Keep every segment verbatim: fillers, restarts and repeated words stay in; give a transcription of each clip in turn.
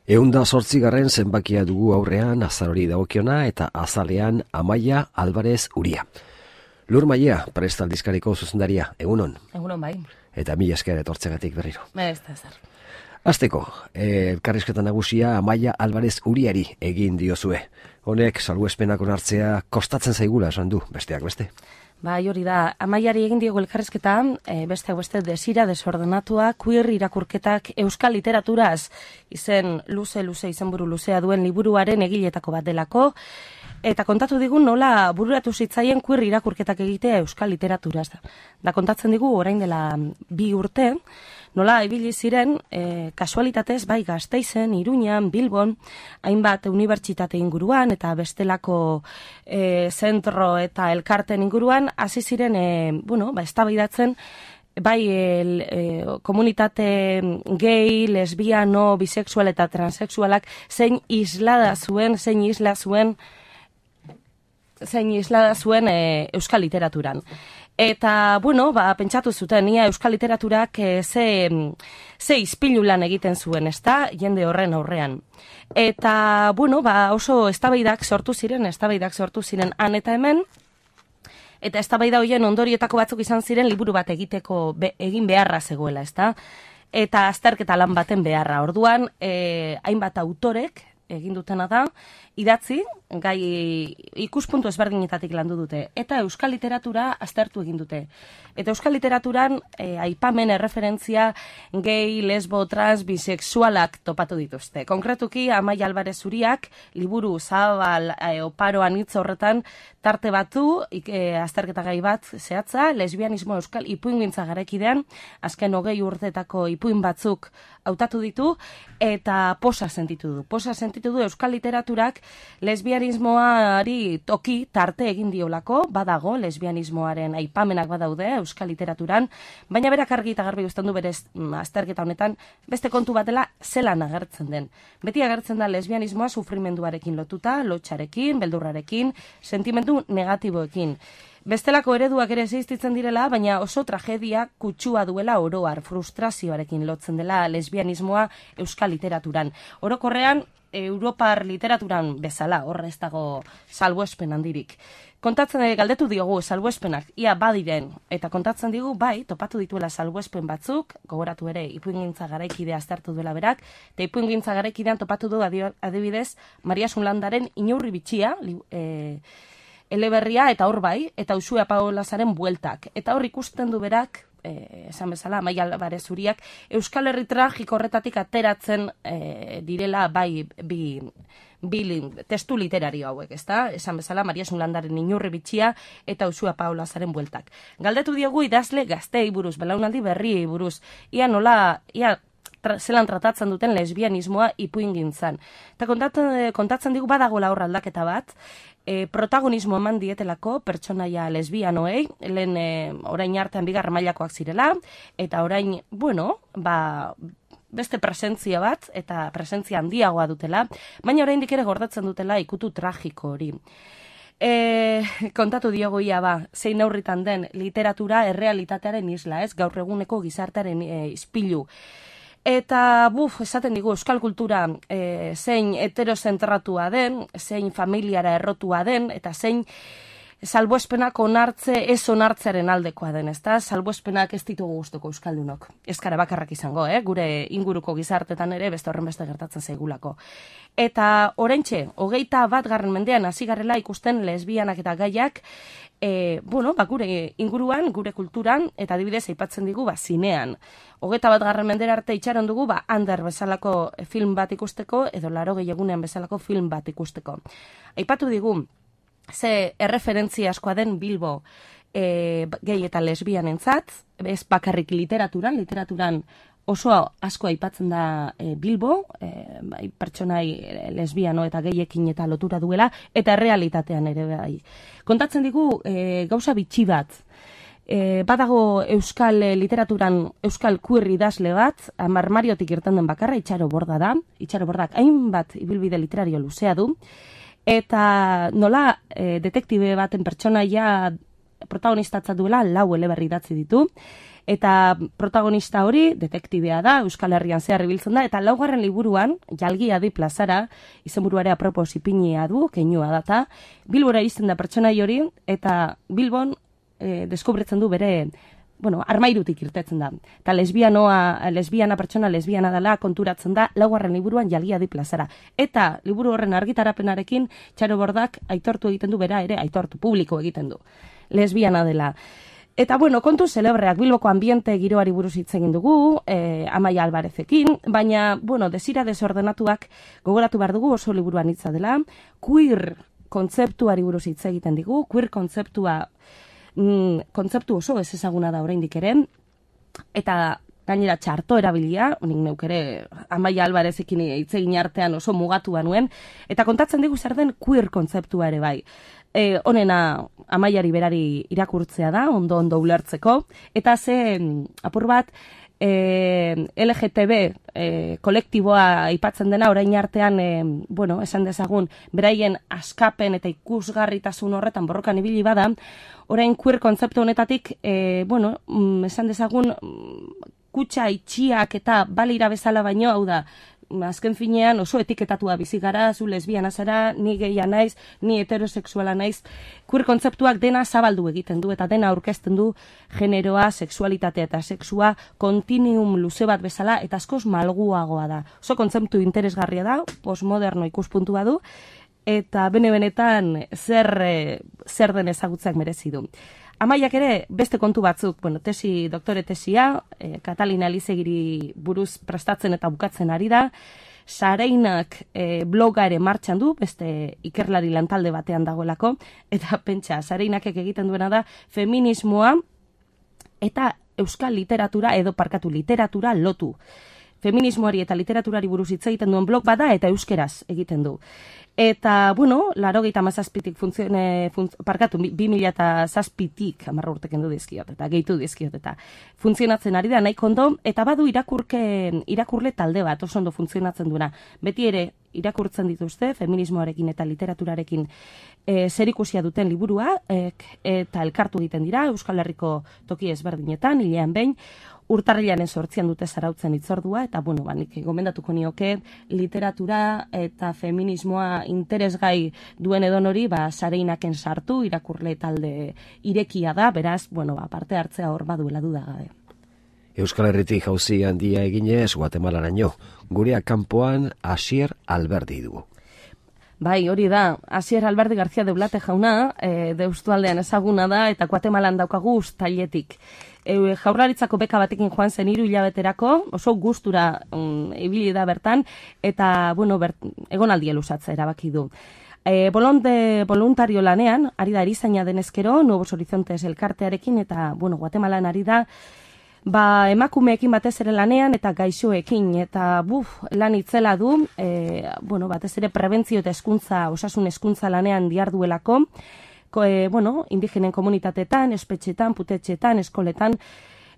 Eunda zortzigarren zenbakia dugu aurrean azarori dagokiona eta azalean Amaia Alvarez Uria. Lur Maia, Prest aldizkariko zuzendaria, egunon? Egunon bai. Eta mila esker etortzegatik berriro. Ez da zer. Azteko, elkarrizketa nagusia Amaia Alvarez Uriari egin diozue. Honek salbuespenak onartzea kostatzen zaigula esan du, besteak beste. Bai, hori da, Amaiari egin diogu elkarrizketa, e, besteak beste desira, desordenatua, queer irakurketak euskal literaturaz, izen luze-luze, izenburu luzea duen liburuaren egiletako bat delako, eta kontatu digu nola bururatu zitzaien queer irakurketak egitea euskal literaturaz. Da kontatzen digu orain dela bi urte, nola ibili ziren e, kasualitatez bai Gasteizen, Iruñan, Bilbon, hainbat unibertsitate inguruan eta bestelako e, zentro eta elkarten inguruan hasi ziren e, bueno, ba eztabaidatzen bai el, e, komunitate gay, lesbiano, bisexual eta transexualak zein islada zuen, zein isla zuen zein islada zuen e, euskal literaturan. Eta, bueno, ba, pentsatu zuten, ia euskal literaturak e, ze, ze izpilu lan egiten zuen, ezta, jende horren aurrean. Eta, bueno, ba, oso eztabaidak sortu ziren, eztabaidak sortu ziren han eta hemen, eta eztabaida horien ondorietako batzuk izan ziren liburu bat egiteko be, egin beharra zegoela, ezta? Eta azterketa lan baten beharra. Orduan, e, hainbat autorek egin dutena da, idatzi, gai ikuspuntu ezberdinetatik landu dute, eta euskal literatura aztertu egin dute. Eta euskal literaturan e, aipamen erreferentzia gay, lesbo, trans, bisexualak topatu dituzte. Konkretuki, Amaia Alvarez Uriak, liburu zabal e, oparoan hitz horretan, tarte batu, e, azterketa gai bat zehatza, lesbianismo euskal ipuingintza garakidean, azken hogei urteetako ipuin batzuk hautatu ditu, eta posa sentitu du. Posa sentitu du euskal literaturak lesbianismoari toki tarte egin diolako, badago lesbianismoaren aipamenak badaude euskal literaturan, baina berak argi eta garbi uzten du berez azterketa honetan beste kontu batela zelan agertzen den. Beti agertzen da lesbianismoa sufrimenduarekin lotuta, lotxarekin, beldurrarekin, sentimendu negatiboekin. Bestelako ereduak ere existitzen direla, baina oso tragedia kutsua duela oroar, frustrazioarekin lotzen dela lesbianismoa euskal literaturan. Orokorrean, Europar literaturan bezala, horre ez dago salbuespen handirik. Kontatzen galdetu diogu salbuespenak, ia badiren, eta kontatzen digu, bai, topatu dituela salbuespen batzuk, gogoratu ere, ipuingintza garaikidea aztertu duela berak, eta ipuingintza garaikidean topatu du adibidez, Maria Sunlandaren Inaurri bitxia, e, eleberria, eta hor bai, eta Uxue Apaolazaren bueltak. Eta hor ikusten du berak, Eh, esan bezala, Amaia Alvarez Uriak, Euskal Herri tragiko horretatik ateratzen eh, direla bai bi, bi testu literario hauek, ezta? Esan bezala, Maria Sunlandaren Inurri bitxia eta Uxue Apaolazaren bueltak. Galdetu diogu idazle gaztei buruz, belaunaldi berriei buruz, ia nola, ia tra, zelan tratatzen duten lesbianismoa ipuingintzan. Eta kontatzen, kontatzen digu badagoela hor aldaketa bat, E, protagonismo eman dietelako pertsonaia lesbianoei, lehen e, orain artean bigarren mailakoak zirela, eta orain, bueno, ba, beste presentzia bat, eta presentzia handiagoa dutela, baina oraindik ere gordetzen dutela ikutu tragiko hori. E, kontatu diogu ia ba, zein neurritan den literatura errealitatearen isla, ez, gaur eguneko gizartearen e, ispilu. Eta, buf, esaten digu, euskal kultura e, zein heterozentratua den, zein familiara errotua den, eta zein salbuespenak onartze ez onartzearen aldekoa den, ezta? Salbuespenak ez ditugu gustuko euskaldunok. Ez gara bakarrak izango, eh? Gure inguruko gizartetan ere beste horren beste gertatzen zaigulako. Eta oraintxe, hogeita bat garren mendean hasi garrela ikusten lesbianak eta gaiak, e, bueno, ba, gure inguruan, gure kulturan, eta adibidez aipatzen digu, ba, zinean. Hogeita bat garren mendera arte itxaron dugu, ba, Ander bezalako film bat ikusteko, edo Laurogei egunean bezalako film bat ikusteko. Aipatu digu, ze erreferentzia askoa den Bilbo e, gehi eta lesbianentzat, ez bakarrik literaturan, literaturan oso asko aipatzen da e, Bilbo, e, bai, pertsonai lesbiano eta gehiekin eta lotura duela, eta errealitatean ere bai. Kontatzen digu e, gauza bitxi bat, e, badago euskal literaturan euskal queer idazle bat, marmariotik irten den bakarra, Itxaro Borda da, Itxaro Bordak hainbat ibilbide literario luzea du, eta nola e, detektibe baten pertsonaia protagonistatzat duela lau eleberri idatzi ditu, Eta protagonista hori, detektibea da, Euskal Herrian zehar ibiltzen da, eta laugarren liburuan, jalgia di plazara, izenburuare apropos ipinia du, keinua data, Bilbora izten da pertsonai hori, eta Bilbon eh, deskubritzen du bere, bueno, armairutik irtetzen da. Eta lesbianoa, lesbiana pertsona lesbiana dela konturatzen da, laugarren liburuan jalgia di plazara. Eta liburu horren argitarapenarekin, Txaro Bordak aitortu egiten du bera ere, aitortu publiko egiten du. Lesbiana dela. Eta, bueno, kontu celebreak Bilboko ambiente giroari buruz hitz egin dugu, eh, Amaia Albarezekin, baina, bueno, desira desordenatuak gogoratu behar dugu oso liburuan hitza dela, queer kontzeptuari buruz hitz egiten digu, queer kontzeptua, mm, kontzeptu oso ez ezaguna da oraindik ere, eta gainera txarto erabilia, honik neuk ere Amaia Albarezekin hitz egin artean oso mugatua nuen, eta kontatzen digu zer den queer kontzeptua ere bai. E, honena Amaiari berari irakurtzea da, ondo-ondo ulertzeko, eta ze apur bat e, L G T B e, kolektiboa aipatzen dena orain artean, e, bueno, esan dezagun, beraien askapen eta ikusgarritasun horretan borrokan ibili bada, orain queer kontzeptu honetatik, e, bueno, esan dezagun, kutxa itxiak eta balira bezala baino, hau da, azken finean oso etiketatua bizi gara, zu lesbiana zara, ni geia naiz, ni heterosexuala naiz. Queer kontzeptuak dena zabaldu egiten du eta dena aurkezten du generoa, sexualitatea eta sexua kontinuum luze bat bezala eta askoz malguagoa da. Oso kontzeptu interesgarria da, postmoderno ikuspuntua du eta bene-benetan zer, zer den ezagutzeak merezi du. Amaiak ere beste kontu batzuk, bueno, tesi, doktore tesia, eh, Katalina Elizegiri buruz prestatzen eta bukatzen ari da, Sareinak eh, bloga ere martxan du, beste ikerlari lantalde batean dagoelako, eta pentsa, Sareinakek egiten duena da feminismoa eta euskal literatura edo parkatu literatura lotu. Feminismoari eta literaturari buruz hitz egiten duen blog bada eta euskeraz egiten du. Eta, bueno, laurogeita hamazazpitik funtzione, funtz, parkatu, bi mila zazpitik, amarra urteken du dizkiot, eta gehitu dizkiot, eta funtzionatzen ari da, nahi kondo, eta badu irakurke, irakurle talde bat, oso ondo funtzionatzen duena. Beti ere, irakurtzen dituzte, feminismoarekin eta literaturarekin e, zerikusia duten liburua, e, eta elkartu egiten dira, Euskal Herriko toki ezberdinetan, hilean behin, urtarrilaren sortzian dute zarautzen itzordua, eta, bueno, ba, nik gomendatuko nioke literatura eta feminismoa interesgai duen edonori, ba, Sareinaken sartu, irakurle talde irekia da, beraz, bueno, ba, parte hartzea hor baduela dudagabe. Euskal Herritik jauzi handia eginez Guatemalaraino, gurea kanpoan Asier Alberdi dugu. Bai, hori da, Asier Alberdi García de Blate jauna, e, Deustualdean ezaguna da, eta Guatemalan daukagu uztailetik. E, jaurlaritzako beka batekin joan zen hiru hilabeterako, oso gustura um, ibili da bertan, eta, bueno, bert, egonaldia luzatzea erabaki du. E, bolonte voluntario lanean, ari da erizaina denezkero, Nuevos Horizontes elkartearekin, eta, bueno, Guatemalan ari da, ba, emakumeekin batez ere lanean eta gaixoekin, eta buf, lan itzela du, e, bueno, batez ere prebentzio eta hezkuntza, osasun hezkuntza lanean diarduelako, ko, e, bueno, indigenen komunitateetan, espetxetan, putetxetan, eskoletan,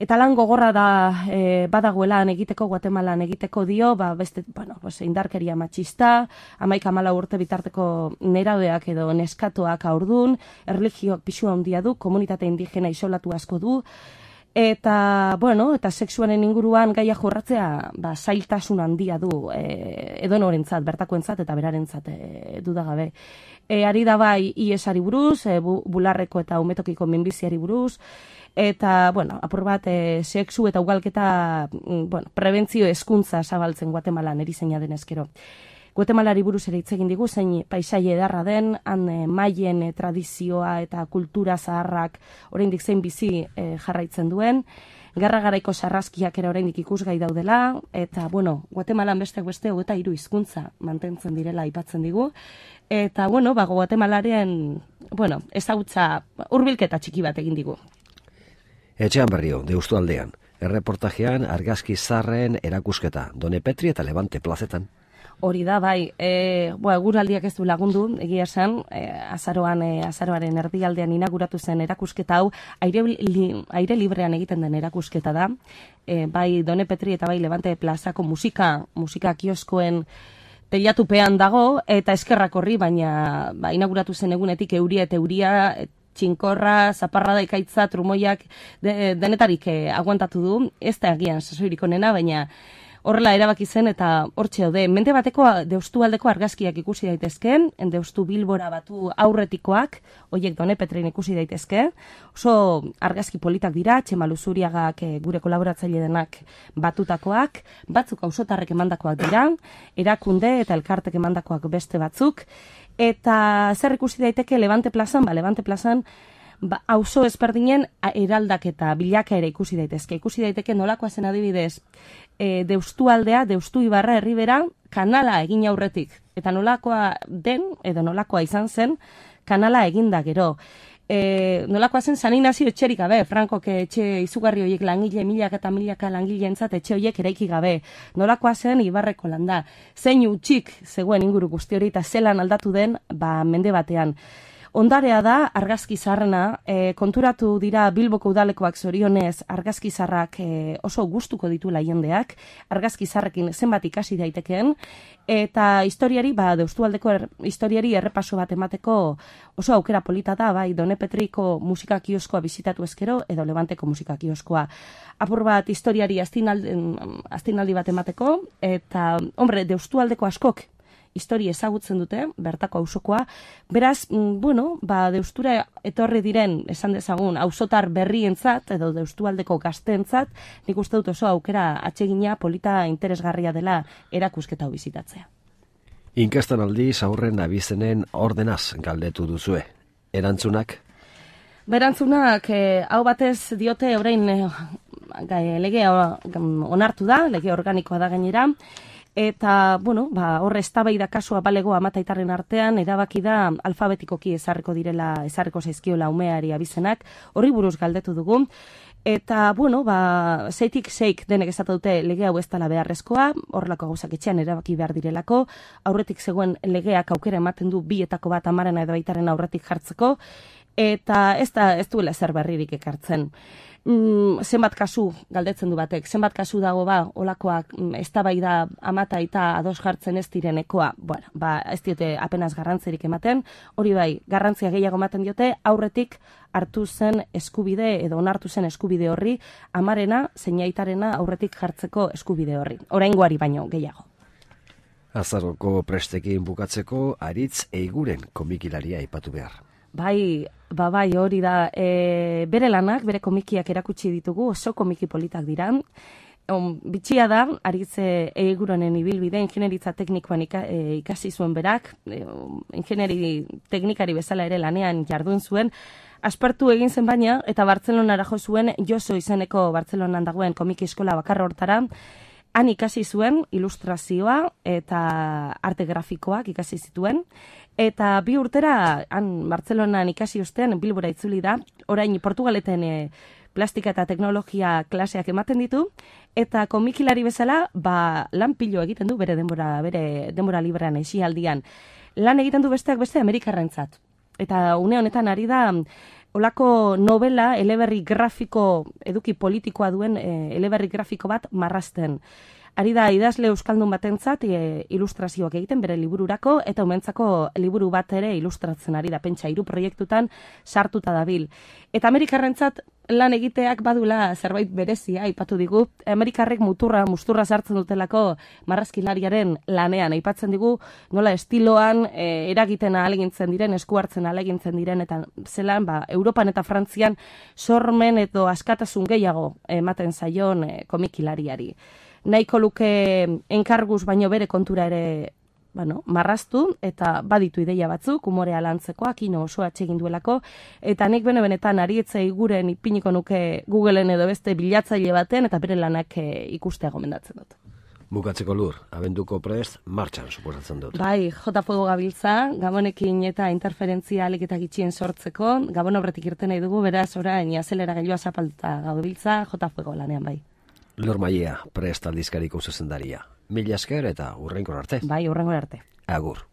eta lan gogorra da e, badagoelan egiteko, Guatemalan egiteko dio, ba, beste, bueno, pues, indarkeria matxista, hamaika hamalau urte bitarteko nerabeak edo neskatoak haurdun, erlijioak pixua handia du, komunitate indigena isolatu asko du, eta, bueno, eta sexuaren inguruan gaia jorratzea, ba, zailtasun handia du e, edonorentzat, bertakoentzat eta berarentzat e, dudagabe. E, ari da bai I E S-ari buruz, e, bu, bularreko eta umetokiko minbiziari buruz, eta, bueno, apur bat, e, sexu eta ugalketa, bueno, prebentzio hezkuntza zabaltzen Guatemalan erizaina denezkero. Guatemalari buruz ere hitz egin digu, zein paisaia edarra den, han e, maien e, tradizioa eta kultura zaharrak oraindik zein bizi e, jarraitzen duen, gerra garaiko sarraskiak ere oraindik ikusgai daudela, eta, bueno, Guatemalan besteak beste hogeita hiru hizkuntza mantentzen direla aipatzen digu, eta, bueno, ba, Guatemalaren, bueno, ezagutza hurbilketa txiki bat egin digu. Etxean Berrio, Deustualdean, erreportajean argazki zarren erakusketa, Done Petri eta Levante plazetan. Hori da, bai, e, boa, eguraldiak ez du lagundu, egia esan, e, azaroan, e, azaroaren erdialdean inauguratu zen erakusketa hau, aire, li, aire librean egiten den erakusketa da, e, bai Done Petri eta bai Levante plazako musika, musika kioskoen teilatupean dago, eta eskerrak horri, baina ba, inauguratu zen egunetik euria eta euria, txinkorra, zaparrada ikaitza, trumoiak de, denetarik eh, aguantatu du, ez da agian sasoirik onena, baina horrela erabaki zen eta hortxe daude. Mende bateko Deustu aldeko argazkiak ikusi daitezke, Deustu Bilbora batu aurretikoak, hoiek Done Petrin ikusi daitezke. Oso argazki politak dira, Txema Luzuriagak e, gure kolaboratzaile denak batutakoak, batzuk auzotarrek emandakoak dira, erakunde eta elkartek emandakoak beste batzuk. Eta zer ikusi daiteke Levante plazan? Ba, Levante plazan ba, auzo ezberdinen eraldak eta bilaka ere ikusi daitezke. Ikusi daiteke nolakoa zen adibidez, e, Deustu aldea, Deustu Ibarra herribera kanala egin aurretik. Eta nolakoa den, edo nolakoa izan zen, kanala eginda gero. E, nolakoa zen San Inazio etxerik gabe, Frankok etxe izugarri horiek langile, milaka eta milaka langileentzat etxe horiek eraiki gabe. Nolakoa zen Ibarreko landa. Zein utxik zegoen inguru guzti hori eta zelan aldatu den ba, mende batean. Ondarea da argazki zaharrena, e, konturatu dira Bilboko udalekoak zorionez argazki zaharrak e, oso gustuko dituela jendeak, argazki zaharrekin zenbat ikasi daitekeen, eta historiari, ba, Deustualdeko er, historiari errepaso bat emateko oso aukera polita da, bai, Done Petriko musika kioskoa bizitatu ezkero, edo Levanteko musika kioskoa. Apur bat historiari astinaldi, astinaldi bat emateko, eta, hombre, Deustualdeko askok, histori ezagutzen dute, bertako auzokoa. Beraz, bueno, ba, Deustura etorri diren, esan dezagun, auzotar berrientzat, edo Deustualdeko gazteentzat, nik uste dut oso aukera atsegina polita interesgarria dela erakusketa hau bizitatzea. Inkestan aldiz aurren abizenen ordenaz galdetu duzue. Erantzunak? Berantzunak, eh, hau batez diote orain eh, legea onartu da, lege organikoa da gainera, eta, bueno, ba, horre eztabaida kasua balego amataitarren artean, erabaki da alfabetikoki ezarriko direla, ezarriko zaizkiola umeari abizenak, horri buruz galdetu dugu. Eta, bueno, ba, zeitik zeik denek esatu dute lege hau ez dela beharrezkoa, horrelako gauzak etxean erabaki behar direlako, aurretik zegoen legeak aukera ematen du bietako bat amarena edo baitaren aurretik jartzeko, eta ez da ez duela zer berririk ekartzen. Mm, zenbat kasu galdetzen du batek, zenbat kasu dago ba, olakoak mm, eztabaida amata eta ados jartzen ez direnekoa, bueno, ba, ez diote apenas garrantzerik ematen, hori bai, garrantzia gehiago ematen diote, aurretik hartu zen eskubide edo onartu zen eskubide horri, amarena, zeinaitarena aurretik jartzeko eskubide horri, oraingoari baino gehiago. Azaroko prestekin bukatzeko, Aritz Eiguren komikilaria aipatu behar. Bai, ba bai, hori da, e, bere lanak, bere komikiak erakutsi ditugu, oso komiki politak dira. On, bitxia da, Aritz Eiguronen ibilbide, ingenieritza teknikoan ika, e, ikasi zuen berak, e, ingenieri teknikari bezala ere lanean jardun zuen, aspertu egin zen baina, eta Bartzelonara jo zuen, Joso izeneko Bartzelonan dagoen komiki eskola bakarra hortara, han ikasi zuen ilustrazioa eta arte grafikoak ikasi zituen, eta bi urtera han Bartzelonan ikasi ostean Bilbora itzuli da, orain Portugaleten e, plastika eta teknologia klaseak ematen ditu, eta komikilari bezala ba, lan pilo egiten du bere denbora, bere denbora librean esialdian. Lan egiten du besteak beste Amerikarrentzat. Eta une honetan ari da olako novela eleberri grafiko, eduki politikoa duen e, eleberri grafiko bat marrazten. Ari da idazle euskaldun batentzat e, ilustrazioak egiten bere libururako, eta umentzako liburu bat ere ilustratzen ari da, pentsa hiru proiektutan sartuta dabil. Eta Amerikarrentzat lan egiteak badula zerbait berezia, aipatu digu, Amerikarrek muturra, musturra sartzen dutelako marrazkilariaren lanean, aipatzen digu nola estiloan e, eragiten ahalegintzen diren, esku hartzen ahalegintzen diren, eta zelan, ba, Europan eta Frantzian sormen edo askatasun gehiago ematen zaion e, komikilariari. Nahiko luke enkarguz baino bere kontura ere bueno, marraztu, eta baditu ideia batzuk, umorea lantzekoak, ino oso atsegin duelako, eta nik bene-benetan Aritz Eiguren ipiniko nuke Googleen edo beste bilatzaile baten, eta bere lanak e, ikustea gomendatzen dut. Bukatzeko Lur, abenduko prest, martxan suposatzen dut. Bai, J Fuego gabiltza, Gabonekin eta interferentzia alik eta gitxien sortzeko, Gabon aurretik irten nahi dugu, beraz orain azelera gailua zapalduta gabiltza, J Fuego lanean bai. Lur Maia, prest aldizkariko zuzendaria. Mila esker eta hurrenkor arte. Bai, hurrenkor arte. Agur.